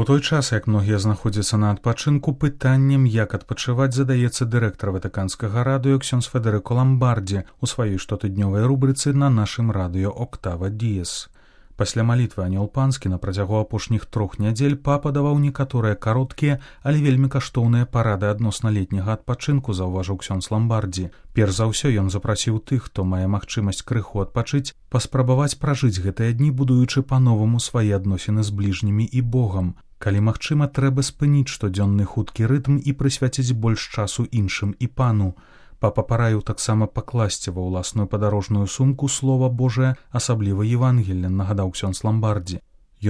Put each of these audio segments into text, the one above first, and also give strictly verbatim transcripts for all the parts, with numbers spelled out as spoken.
У той час, як многія знаходзяцца на адпачынку, пытаннем, як адпачываць, задаецца дырэктар ватыканскага радыё ксёндз Федэрыко Ламбардзі у сваёй штотыднёвай рубрыцы на нашым радыё «Октава Діес». Пасля малітвы «Анёл панскі» на працягу апошніх трох нядзель папа даваў некаторыя кароткія, але вельмі каштоўныя парады адносна летняга адпачынку, заўважыў ксёндз Ламбардзі. Перш за ўсё ён запрасіў тых, хто мае магчымасць крыху адпачыць, паспрабаваць пражыць гэтыя дні, будуючы па-новаму свае адносіны з бліжнімі і Богам. Калі магчыма, трэба спыніць штодзённы хуткі рытм і прысвяціць больш часу іншым і пану. Папа параіў таксама пакласці ва ўласную падарожную сумку слова Божае, асабліва Евангелле, нагадаў ксёндз Ламбардзі.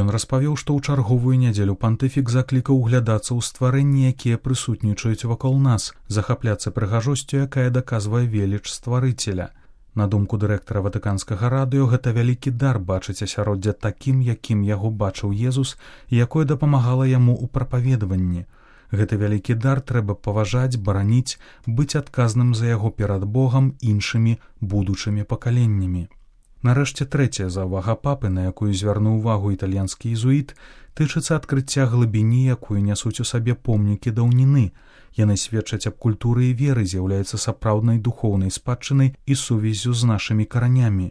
Ён распавёў, што ў чарговую нядзелю пантыфік заклікаў углядацца ў стварэнні, якія прысутнічаюць вакол нас, захапляцца прыгажосцю, якая даказвае веліч стварыцеля. На думку дырэктара ватыканскага радыё, гэта вялікі дар бачыць асяроддзе такім, якім яго бачыў Езус, і якое дапамагала яму ў прапаведаванні. Гэты вялікі дар трэба паважаць, бараніць, быць адказным за яго перад Богам, іншымі, будучымі пакаленнямі. Нарэшце, трэцяя заўвага папы, на якую звярнуў увагу італьянскі езуіт, тычыцца адкрыцця глыбіні, якую нясуць у сабе помнікі даўніны. Яны сведчаць аб культуры і веры, з'яўляюцца сапраўднай духоўнай спадчынай і сувяззю з нашымі каранямі.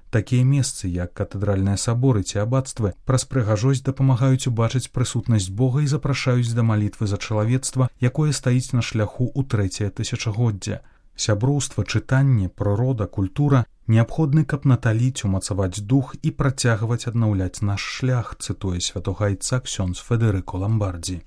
Такія месцы, як катэдральныя саборы ці абацтвы, праз прыгажосць дапамагаюць убачыць прысутнасць Бога і запрашаюць да малітвы за чалавецтва, якое стаіць на шляху ў трэцяе тысячагоддзя. Сяброўства, чытанне, прырода, культура неабходны, каб наталіць, умацаваць дух і працягваць аднаўляць наш шлях, цытуе святога айца ксёндз Федэрыко Ламбардзі.